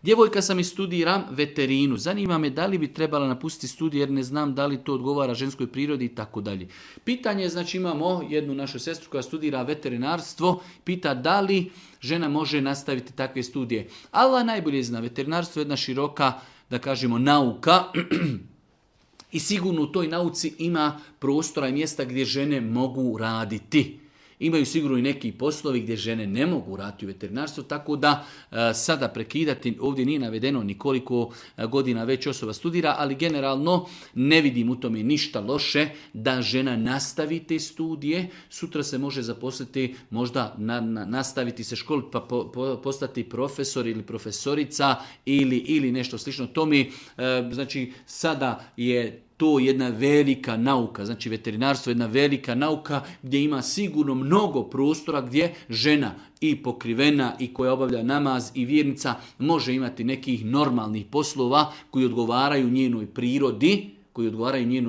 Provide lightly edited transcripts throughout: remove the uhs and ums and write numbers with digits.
Djevojka sam i studiram veterinu. Zanima me da li bi trebala napustiti studij jer ne znam da li to odgovara ženskoj prirodi i tako dalje. Pitanje je, znači imamo jednu našu sestru koja studira veterinarstvo, pita da li žena može nastaviti takve studije. Allah najbolje zna, veterinarstvo je jedna široka, da kažemo, nauka i sigurno u toj nauci ima prostora i mjesta gdje žene mogu raditi. Imaju sigurno i neki poslovi gdje žene ne mogu raditi u veterinarstvu, tako da sada prekidati, ovdje nije navedeno ni koliko godina već osoba studira, ali generalno ne vidim u tome ništa loše da žena nastavi te studije. Sutra se može zaposliti, možda nastaviti se školiti pa postati profesor ili profesorica ili nešto slično tome. Znači sada je to jedna velika nauka, znači veterinarstvo je jedna velika nauka gdje ima sigurno mnogo prostora gdje žena i pokrivena i koja obavlja namaz i vjernica može imati nekih normalnih poslova koji odgovaraju njenoj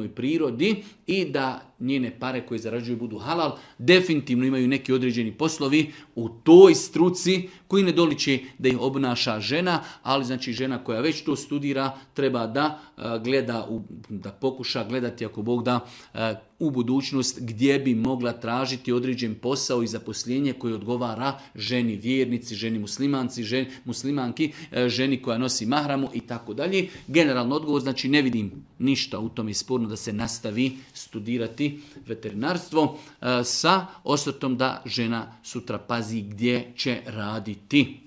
prirodi i da njene pare koje zarađuju budu halal. Definitivno imaju neki određeni poslovi u toj struci koji ne doliči da ih obnaša žena, ali znači žena koja već to studira treba da gleda, da pokuša gledati ako Bog da u budućnost gdje bi mogla tražiti određen posao i zaposlenje koje odgovara ženi vjernici, ženi muslimanki, ženi koja nosi mahramu i tako dalje. Generalno odgovor, znači ne vidim ništa u tome sporno da se nastavi studirati veterinarstvo sa osvrtom da žena sutra pazi gdje će raditi.